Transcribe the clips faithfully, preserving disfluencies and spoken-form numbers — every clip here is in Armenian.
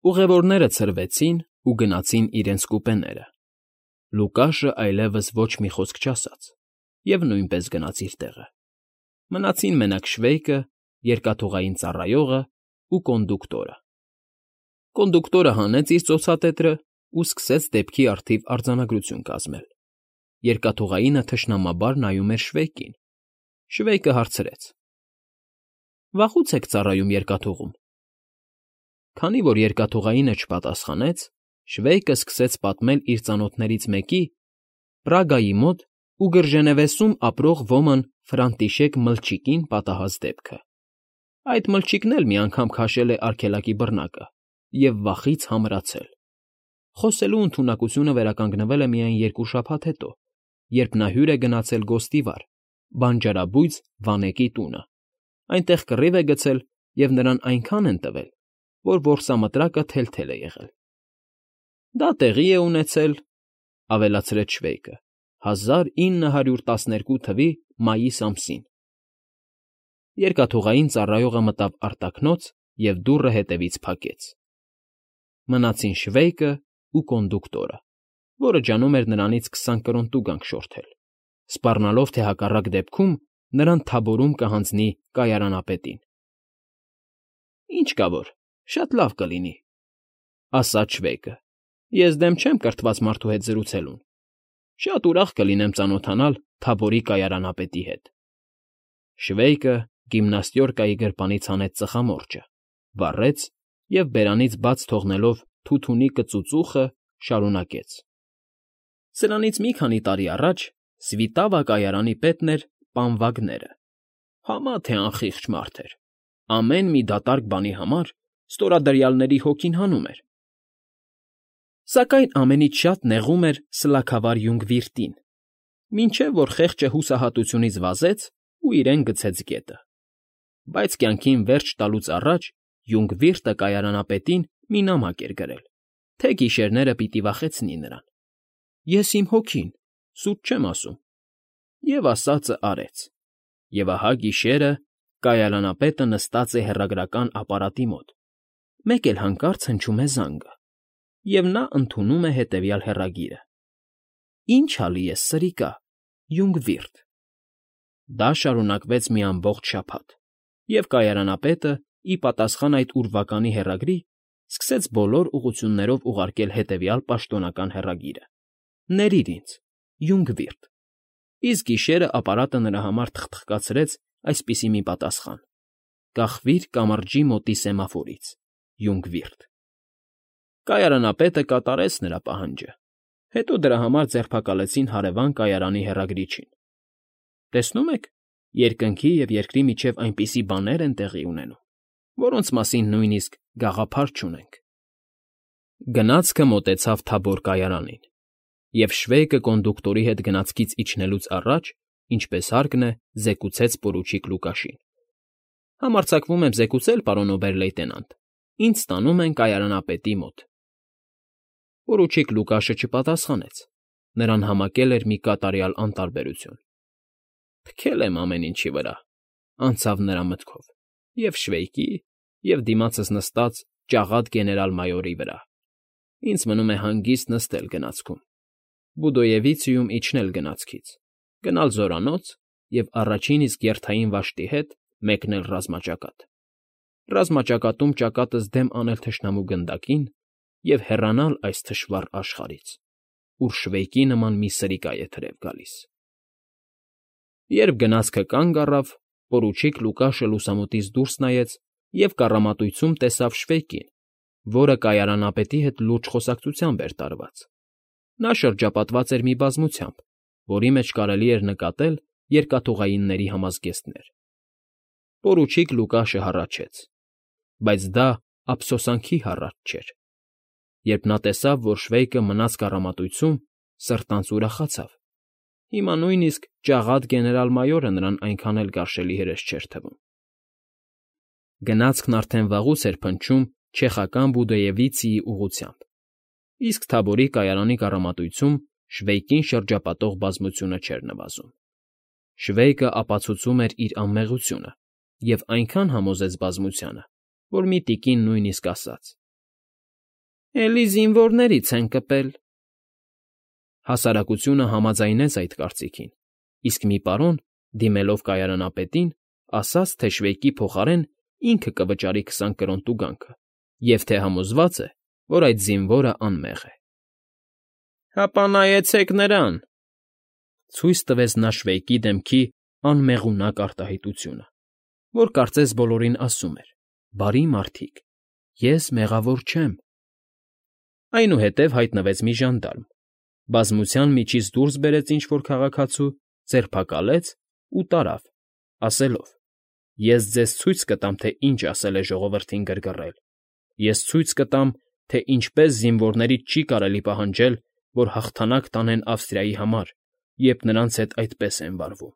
Ուղևորները ցրվեցին ու գնացին իրենց կուպեները, Լուկաշը այլևս ոչ մի խոսք չասաց և նույնպես գնաց իր տեղը. մնացին մենակ Շվեյկը, երկաթուղային ծառայողն ու կոնդուկտորը։ Կոնդուկտորը հանեց իր ծոցատետրն ու սկսեց դեպքի առթիվ արձանագրություն կազմել։ Երկաթուղայինը թշնամաբար նայում էր Շվեյկին։ Շվեյկը հարցրեց. ֊ Վաղո՞ւց եք ծառայում երկաթուղում։ Քանի որ երկաթուղայինը չպատասխանեց, Շվեյկը սկսեց պատմել իր ծանոթներից մեկի՝ Պրագայի մոտ Ուգրջենևեսում ապրող ոմն Ֆրանտիշեկ Մլչիկին պատահած դեպքը։ Այդ մլչիկն էլ մի անգամ քաշել է արգելակի բռնակը և վախից համրացել։ Խոսելու ընդունակությունը վերականգնվել է միայն երկու շաբաթ հետո, երբ նա հյուր է գնացել գոստիվար, բանջարաբույծ Վանեկի տունը, այնտեղ կռիվ է գցել և նրան այնքան են տվել, որ որսամտրակը թել֊թել է եղել։ Դա տեղի է ունեցել, ֊ ավելացրեց Շվեյկը, ֊ հազար ինը հարյուր տասներկու թվականի մայիս ամսին։ Երկաթուղային ծառայողը մտավ արտաքնոց և դուռը հետևից փակեց։ Մնացին Շվեյկն ու կոնդուկտորը, որը ջանում էր նրանից քսան կրոն տուգանք շորթել, սպառնալով, թե հակառակ դեպքում նրան թաբորում կհանձնի կայարանապետին։ ֊ Ինչ կա որ, շատ լավ կլինի, ֊ ասաց Շվեյկը։ Ես դեմ չեմ կրթված մարդու հետ զրուցելուն։ Շատ ուրախ կլինեմ ծանոթանալ Թաբորի կայարանապետի հետ։ Շվեյկը գիմնաստյորկայի գրպանից հանեց ծխամորճը, վառեց և, բերանից բաց թողնելով թութունիկը ծուծուխը, շարունակեց. Սրանից մի քանի տարի առաջ Սվիտավա կայարանի պետն էր պան Վագները, համա թե անխիղճ մարդ էր, ամեն մի դատարկ բանի համար ստորադրյալների հոգին հանում էր, սակայն ամենից շատ նեղում էր սլաքավար Յունգվիրտին, մինչև որ խեղճը հուսահատությունից վազեց ու իրեն գցեց գետը։ Բայց կյանքին վերջ տալուց առաջ Յունգվիրտը կայարանապետին մի նամակ էր գրել, թե գիշերները պիտի վախեցնի նրան։ Ես իմ հոգին, սուտ չեմ ասում։ Եվ ասածը արեց։ Եվ ահա գիշերը կայարանապետը նստած է հեռագրական ապարատի մոտ, մեկ էլ հանկարծ հնչում է զանգը, և նա ընդունում է հետևյալ հեռագիրը. Ինչ ալի ես, սրիկա, Յունգվիրտ։ Դա շարունակվեց մի ամբողջ շաբաթ, և կայարանապետը, ի պատասխան այդ ուրվականի հեռագրի, սկսեց բոլոր ուղղություններով ուղարկել հետևյալ պաշտոնական հեռագիրը. Ներիր ինձ, Յունգվիրտ։ Իսկ գիշերը ապարատը նրա համար թխթխկացրեց այսպիսի մի պատասխան. Կախվիր կամրջի մոտի սեմաֆորից, Յունգվիրտ։ Կայարանապետը կատարեց նրա պահանջը, հետո դրա համար ձերբակալեցին հարևան կայարանի հեռագրիչին։ Տեսնում եք, երկնքի և երկրի միջև այնպիսի բաներ են տեղի ունենում, որոնց մասին նույնիսկ գաղափար չունենք։ Գնացքը մոտեցավ Թաբոր կայարանին, և Շվեյկը կոնդուկտորի հետ գնացքից իջնելուց առաջ, ինչպես հարկն է, զեկուցեց պորուչիկ Լուկաշին. Համարձակվում եմ զեկուցել, պարոն օբեր֊լեյտենանտ, ինձ տանում են կայարանապետի մոտ։ Պորուչիկ Լուկաշը չպատասխանեց, նրան համակել էր մի կատարյալ անտարբերություն։ Թքել եմ ամեն ինչի վրա, անցավ նրա մտքով, և Շվեյկի, և դիմացս նստած ճաղատ գեներալ֊մայորի վրա։ Ինձ մնում է հանգիստ նստել գնացքում, Բուդոևիցիում իջնել գնացքից, գնալ զորանոց և առաջին իսկ երթային վաշտի հետ մեկնել ռազմաճակատ, ռազմաճակատում ճակատս դեմ անել թշնամու գնդակին և հեռանալ այս թշվառ աշխարհից, ուր Շվեյկի նման մի սրիկա է թրև գալիս։ Երբ գնացքը կանգ առավ, պորուչիկ Լուկաշը լուսամուտից դուրս նայեց և կառամատույցում տեսավ Շվեյկին, որը կայարանապետի հետ լուրջ խոսակցությամբ էր տարված։ Նա շրջապատված էր մի բազմությամբ, որի մեջ կարելի էր նկատել երկաթուղայինների համազգեստներ։ Պորուչիկ Լուկաշը հառաչեց, բայց դա ափսոսանքի հառաչ չէր։ Երբ նա տեսավ, որ Շվեյկը մնաց կառամատույցում, սրտանց ուրախացավ։ Հիմա նույնիսկ ճաղատ գեներալ֊մայորը նրան այնքան էլ գարշելի հրես չէր թվում։ Գնացքն արդեն վաղուց էր փնչում չեխական Բուդոևիցիի ուղղությամբ, իսկ Թաբորի կայարանի կառամատույցում Շվեյկին շրջապատող բազմությունը չէր նվազում։ Շվեյկը ապացուցում էր իր անմեղությունը և այնքան համոզեց բազմությանը, որ մի տիկին նույնիսկ ասաց. Էլի զինվորներից են կպել։ Հասարակությունը համաձայնեց այդ կարծիքին, իսկ մի պարոն, դիմելով կայարանապետին, ասաց, թե շվեյկի փոխարեն ինքը կվճարի քսան կրոն տուգանքը և թե համոզված է, որ այդ զինվորը անմեղ է։ ֊ Հապա նայեցեք նրան,֊ ցույց տվեց նա շվեյկի դեմքի անմեղունակ արտահայտությունը, որ կարծես բոլորին ասում էր. «Բարի մարդիկ, ես մեղավոր չեմ»։ Այնուհետև հայտնվեց մի ժանդարմ, բազմության միջից դուրս բերեց ինչ֊որ քաղաքացու, ձերբակալեց ու տարավ, ասելով. «Ես ձեզ ցույց կտամ, թե ինչ ասել է ժողովրդին գրգռել, ես ցույց կտամ, թե ինչպես զինվորներից չի կարելի պահանջել, որ հաղթանակ տանեն Ավստրիայի համար, երբ նրանց հետ այդպես են վարվում»։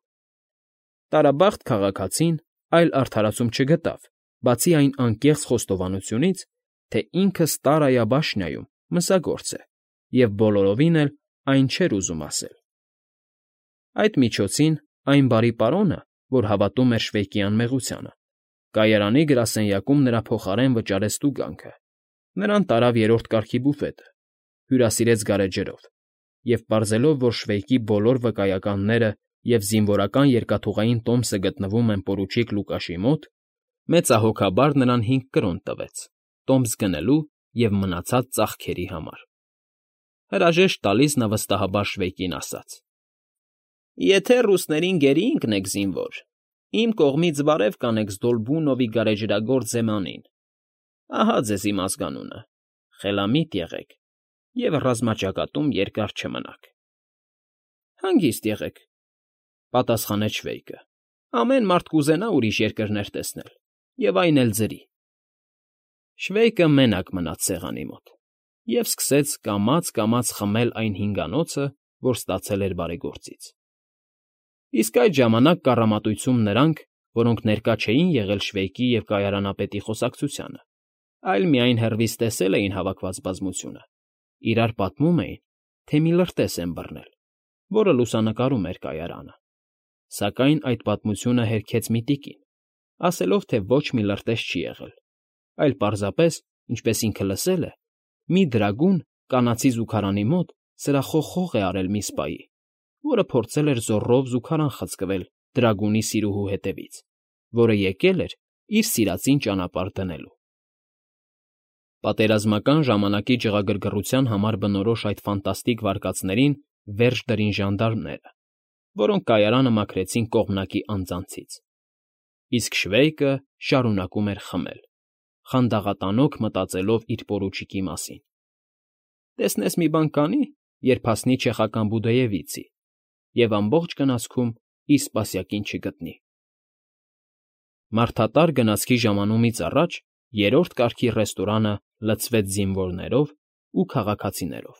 Տարաբախտ քաղաքացին այլ արդարացում չգտավ, բացի այն անկեղծ խոստովանությունից, թե ինքը Ստարայա բաշնիայում մսագործ է և բոլորովին էլ այն չէր ուզում ասել։ Այդ միջոցին այն բարի պարոնը, որ հավատում էր Շվեյկի անմեղությանը, կայարանի գրասենյակում նրա փոխարեն վճարեց տուգանքը, նրան տարավ երրորդ կարգի բուֆետը, հյուրասիրեց գարեջրով և, պարզելով, որ Շվեյկի բոլոր վկայականները և զինվորական երկաթուղային տոմսը գտնվում են պորուչիկ Լուկաշի մոտ, մեծահոգաբար նրան հինգ կրոն տվեց՝ տոմս գնելու և մնացած ծախքերի համար։ Հրաժեշտ տալիս նա վստահաբար Շվեյկին ասաց. «Եթե ռուսներին գերի ընկնեք, զինվոր, իմ կողմից բարև կանեք Ստոլբունովի գարեջրագործ Զեմանին, ահա ձեզ իմ ազգանունը, խելամիտ եղեք և ռազմաճակատում երկար չմնաք»։ ֊ Հանգիստ եղեք,֊ պատասխանեց Շվեյկը,֊ ամեն մարդ կուզենա ուրիշ երկրներ տեսնել, և այն էլ ձրի։ Շվեյկը մենակ մնաց սեղանի մոտ և սկսեց կամաց֊կամաց խմել այն հինգանոցը, որ ստացել էր բարեգործից։ Իսկ այդ ժամանակ կառամատույցում նրանք, որոնք ներկա չէին եղել Շվեյկի և կայարանապետի խոսակցությանը, այլ միայն հեռվից տեսել էին հավաքված բազմությունը, իրար պատմում էին, թե մի լրտես են բռնել, որը լուսանկարում էր կայարանը։ Սակայն այդ պատմությունը հերքեց մի տիկին, ասելով, թե ոչ մի լրտես չի եղել, այլ պարզապես, ինչպես ինքը լսել է, մի դրագուն կանացի զուգարանի մոտ սրախոխող է արել մի սպայի, որը փորձել էր զոռով զուգարան խցկվել դրագունի սիրուհու հետևից, որը եկել էր իր սիրածին ճանապարհ դնելու։ Պատերազմական ժամանակի ջղագրգռության համար բնորոշ այդ ֆանտաստիկ վարկածներին վերջ դրին ժանդարմները, որոնք կայարանը մաքրեցին կողմնակի անձանցից։ Իսկ Շվեյկը շարունակում էր խմել, խանդաղատանոք մտածելով իր պորուչիկի մասին։ Տեսնես մի բան կանի, երբ հասնի չեխական Բուդեևիցի և ամբողջ գնացքում իր սպասյակին չգտնի։ Մարդատար գնացքի ժամանումից առաջ երրորդ կարգի ռեստորանը լցվեց զինվորներով ու քաղաքացիներով։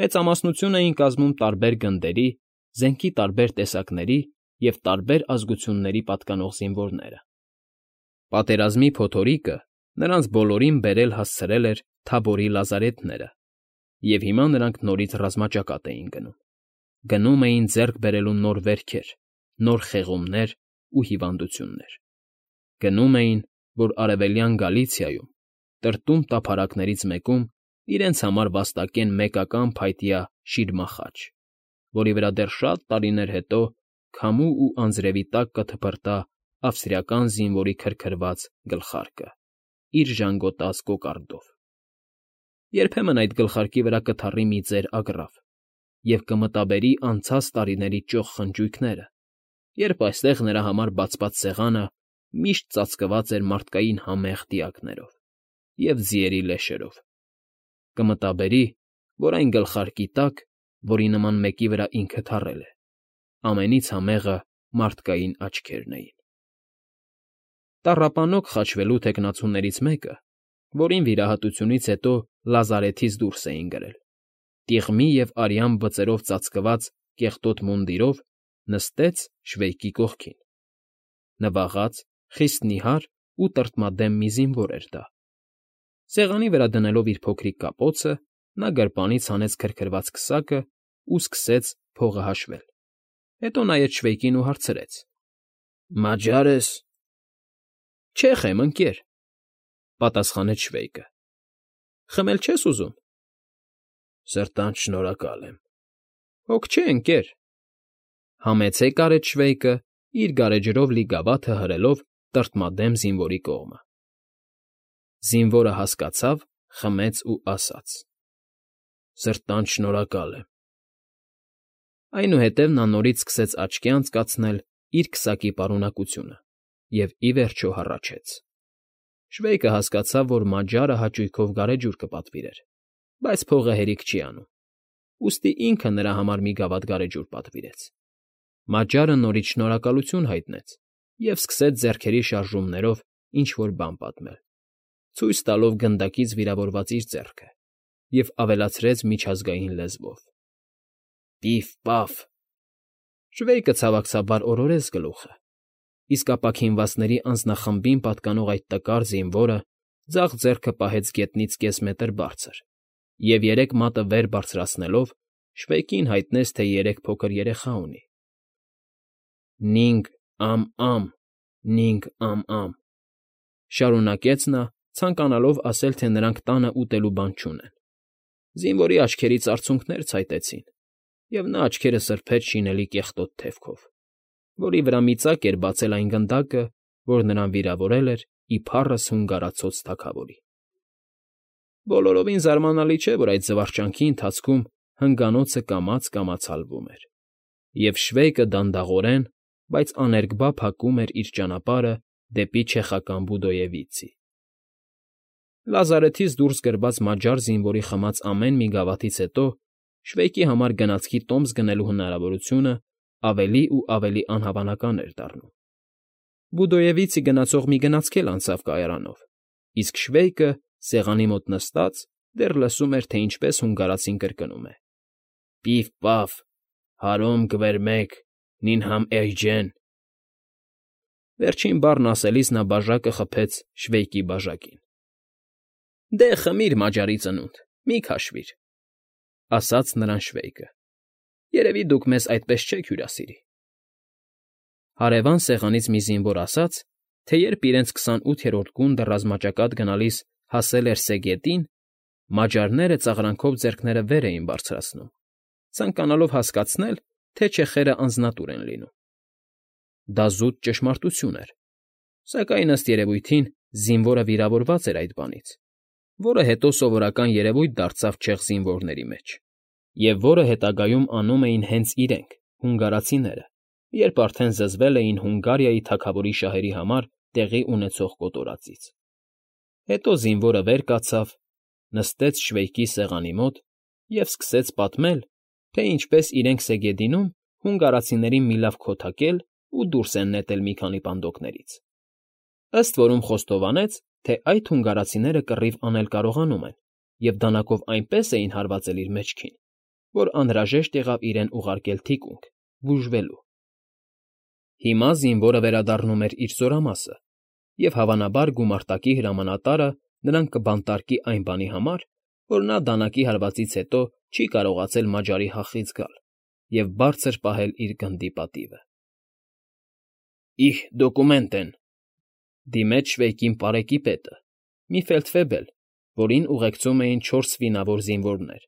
Մեծամասնություն էին կազմում տարբեր գնդերի, զենքի տարբեր տեսակների և տարբեր ազգությունների պատկանող զինվորները։ Պատերազմի փոթորիկը նրանց բոլորին բերել հասցրել էր Թաբորի լազարեթները, և հիմա նրանք նորից ռազմաճակատ էին գնում։ Գնում էին ձեռք բերելու նոր վերքեր, նոր խեղումներ ու հիվանդություններ։ Գնում էին, որ Արևելյան Գալիցիայում, տրտում տափարակներից մեկում իրենց համար վաստակեն մեկական փայտյա շիրմախաչ, որի վրա դեռ շատ տարիներ հետո քամու ու անձրևի տակ կթփրտա ավստրիական զինվորի քրքրված գլխարկը իր ժանգոտած կոկարդով։ Երբեմն այդ գլխարկի վրա կթառի մի ծեր ագռավ և կմտաբերի անցած տարիների ճոխ խնջույքները, երբ այստեղ նրա համար բացված սեղանը միշտ ծածկված էր մարդկային համեղ դիակներով և ձիերի լեշերով։ Կմտաբերի, որ այն գլխարկի տակ, որի նման մեկի վրա ինքը թառել է, ամենից համեղը մարդկային աչքերն էին։ Տառապանոկ խաչվելու թեկնածուներից մեկը, որին վիրահատությունից հետո լազարեթից դուրս էին գրել, տիղմի և արյան բծերով ծածկված կեղտոտ մունդիրով, նստեց Շվեյկի կողքին։ Նվաղած, խիստ նիհար ու տրտմադեմ մի զինվոր էր դա։ Սեղանի վրա դնելով իր փոքրիկ կապոցը, նա գրպանից հանեց քրքրված քսակն ու սկսեց փողը հաշվել, հետո նայեց Շվեյկին ու հարցրեց. ֊ Մաջա՞ր ես։ ֊ Չեխ եմ, ընկեր,֊ պատասխանեց Շվեյկը։ Խմել չես ուզում։ Սրտանց շնորհակալ եմ։ Հոգ չէ, ընկեր։ Համեցեք արեց Շվեյկը, իր գարեջրով լի գավաթը հրելով տրտմադեմ զինվորի կողմը։ Զինվորը հասկացավ, խմեց ու ասաց. Սրտանց շնորհակալ եմ։ Այնուհետև նա նորից սկսեց աչքի անցկացնել իր քսակի պարունակությունը և, ի վերջո, հառաչեց։ Շվեյկը հասկացավ, որ մաջարը հաճույքով գարեջուր կպատվիրեր, բայց փողը հերիք չի անում, ուստի ինքը նրա համար մի գավաթ գարեջուր պատվիրեց։ Մաջարը նորից շնորհակալություն հայտնեց և սկսեց ձեռքերի շարժումներով ինչ֊որ բան պատմել, ցույց տալով գնդակից վիրավորված իր ձեռքը, և ավելացրեց միջազգային լեզվով. Պիֆ֊պաֆ… Շվեյկը ցավակցաբար օրորեց գլուխը, իսկ ապաքինվածների անձնախմբին պատկանող այդ տկար զինվորը ձախ ձեռքը պահեց գետնից կես մետր բարձր և, երեք մատը վեր բարձրացնելով, Շվեյկին հայտնեց, թե երեք փոքր երեխա ունի։ Նինգ֊ամ֊ամ, նինգ֊ամ֊ամ… շարունակեց նա, ցանկանալով ասել, թե նրանք տանը ուտելու բան չունեն։ Զինվորի աչքերից արցունքներ ցայտեցին, և նա աչքերը սրբեց շինելի կեղտոտ թևքով, որի վրա մի ծակ էր բացել այն գնդակը, որ նրան վիրավորել էր ի փառս հունգարացած թագավորի։ Բոլորովին զարմանալի չէ, որ այդ զվարճանքի ընթացքում հնգանոցը կամաց֊կամաց հալվում էր, և Շվեյկը դանդաղորեն, բայց աներկբա փակում էր իր ճանապարհը դեպի չեխական Բուդոևիցի։ Լազարեթից դուրս գրված մաջար զինվորի խմած ամեն մի գավաթից հետո Շվեյկի համար գնացքի տոմս գնելու հնարավորությունը ավելի ու ավելի անհավանական էր դառնում։ Բուդոևիցի գնացող մի գնացք էլ անցավ կայարանով, իսկ Շվեյկը, սեղանի մոտ նստած, դեռ լսում էր, թե ինչպես հունգարացին կրկնում է. Պիֆ֊պաֆ… Հարոմ գվերմեք… Նինհամ էյջեն… Վերջին բառն ասելիս նա բաժակը խփեց Շվեյկի բաժակին։ Դե, խմիր, մաջարի ծնունդ, մի քաշվիր, ասաց նրան Շվեյկը։ Երևի դուք մեզ այդպես չեք հյուրասիրի։ Հարևան սեղանից մի զինվոր ասաց, թե երբ իրենց քսանութերորդ գունդը ռազմաճակատ գնալիս հասել էր Սեգետին, մաջարները ծաղրանքով ձեռքները վեր էին բարձրացնում, ցանկանալով հասկացնել, թե չեխերը անձնատուր են լինում։ Դա զուտ ճշմարտություն էր, սակայն, ըստ երևույթին, զինվորը վիրավորված էր այդ բանից, որը հետո սովորական երևույթ դարձավ չեխ զինվորների մեջ, և որը հետագայում անում էին հենց իրենք՝ հունգարացիները, երբ արդեն զզվել էին Հունգարիայի թագավորի շահերի համար տեղի ունեցող կոտորածից։ Հետո զինվորը վեր կացավ, նստեց Շվեյկի սեղանի մոտ և սկսեց պատմել, թե ինչպես իրենք Սեգեդինում հունգարացիներին մի լավ քոթակել ու դուրս են նետել մի քանի պանդոկներից, ըստ որում խոստովանեց, թե այդ հունգարացիները կռիվ անել կարողանում են և դանակով այնպես էին հարվածել իր մեջքին, որ անհրաժեշտ եղավ իրեն ուղարկել թիկունք՝ բուժվելու։ Հիմա զինվորը վերադառնում էր իր զորամասը, և հավանաբար գումարտակի հրամանատարը նրան կբանտարկի այն բանի համար, որ նա դանակի հարվածից հետո չի կարողացել մաջարի հախից գալ և բարձր պահել իր գնդի պատիվը։ Իհ, դոկումենտեն…֊ դիմեց Շվեյկին պարեկի պետը, մի ֆելդֆեբել, որին ուղեկցում էին չորս սվինավոր զինվորներ։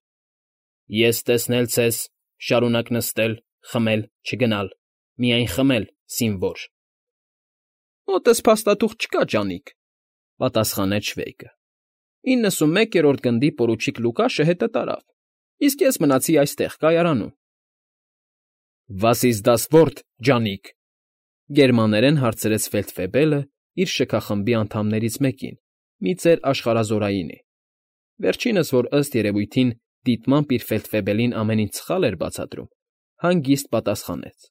Ես տեսնել ցես, շարունակ նստել, խմել, չգնալ, միայն խմել, սինվոր… Մոտս փաստաթուղթ չկա, ջանիկ,֊ պատասխանեց Շվեյկը։ Իննսունմեկերորդ գնդի պորուչիկ Լուկաշը հետը տարավ, իսկ ես մնացի այստեղ կայարանում։ Was ist das Wort, ջանիկ,֊ գերմաներեն հարցրեց ֆելդֆեբելը իր շքախմբի անդամներից մեկին, մի ծեր աշխարհազորայինի, վերջինս, որ ըստ երևույթին դիտմամբ իր ֆելդֆեբելին ամեն ինչ սխալ էր բացատրում, հանգիստ պատասխանեց.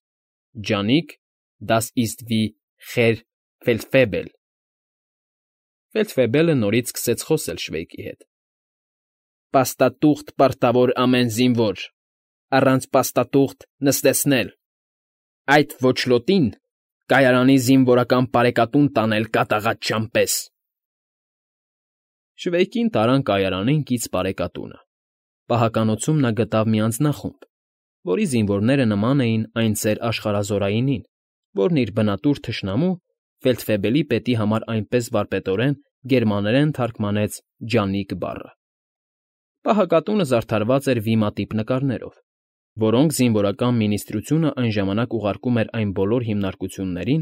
Ջանիկ, das ist wie Herr Feldfebel… Ֆելդֆեբելը նորից սկսեց խոսել Շվեյկի հետ. Պաստատուղթ պարտավոր ամեն զինվոր, առանց պաստատուղթ նստեցնել, այդ ոչլոտին կայարանի զինվորական պարեկատուն տանել կատաղած չամպես… Շվեյկին տարան կայարանին կից պարեկատունը։ Պահականոցում նա գտավ մի անձնախումբ, որի զինվորները նման էին այն ծեր աշխարհազորայինին, որն իր բնատուր թշնամու ֆելդֆեբելի պետի համար այնպես վարպետորեն գերմաներեն թարգմանեց ջանիկ բառը։ Պահակատունը զարդարված էր վիմատիպ նկարներով, որոնք զինվորական մինիստրությունը այն ժամանակ ուղարկում էր այն բոլոր հիմնարկություններին,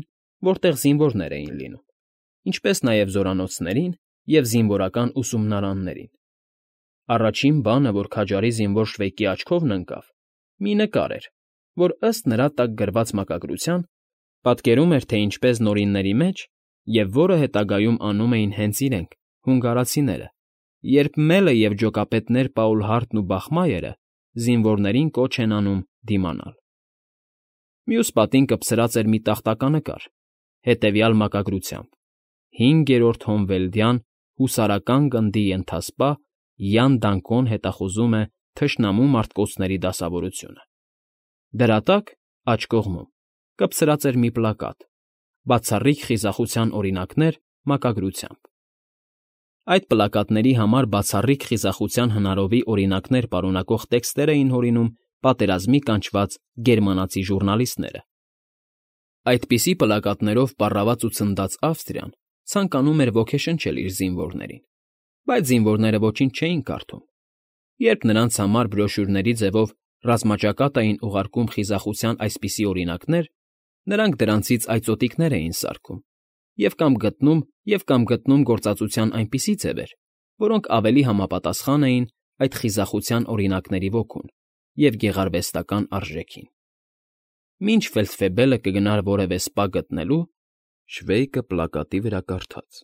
որտեղ զինվորներ էին լինում, ինչպես նաև զորանոցներին և զինվորական ուսումնարաններին։ Առաջին բանը, որ քաջարի զինվոր Շվեյկի աչքովն ընկավ, մի նկար էր, որ ըստ նրա տակ գրված մակագրության պատկերում էր, թե ինչպես նորինների մեջ, և որը հետագայում անում էին հենց իրենք՝ հունգարացիները, երբ Մելը և ջոկապետներ Պաուլհարթն ու Բախմայերը զինվորներին կոչ են անում դիմանալ։ Մյուս պատին կպցրած էր մի տախտականկար, հետևյալ մակագրությամբ. «Հինգերորդ Հոմվելդյան հուսարական գնդի ենթասպա Յան Դանկոն հետախուզում է թշնամու մարտկոցների դասավորությունը»։ Դրա տակ, աջ կողմում, կպցրած էր մի պլակատ՝ «Բացառիկ խիզախության օրինակներ» մակագրությամբ։ Այդ պլակատների համար բացառիկ խիզախության հնարովի օրինակներ պարունակող տեքստեր էին հորինում պատերազմի կանչված գերմանացի ժուռնալիստները։ Այդպիսի պլակատներով պառաված ու ցնդած Ավստրիան ցանկանում էր ոգեշնչել իր զինվորներին, բայց զինվորները ոչինչ չէին կարդում։ Երբ նրանց համար բրոշյուրների ձևով ռազմաճակատ էին ուղարկում խիզախության այսպիսի օրինակներ, նրանք դրանցից այծոտիկներ էին սարքում և կամ գտնում և կամ գտնում գործածության այնպիսի ձևեր, որոնք ավելի համապատասխան էին այդ խիզախության օրինակների ոգուն և գեղարվեստական արժեքին։ Մինչ ֆելդֆեբելը կգնար որևէ սպա գտնելու, Շվեյկը պլակատի վրա կարդաց.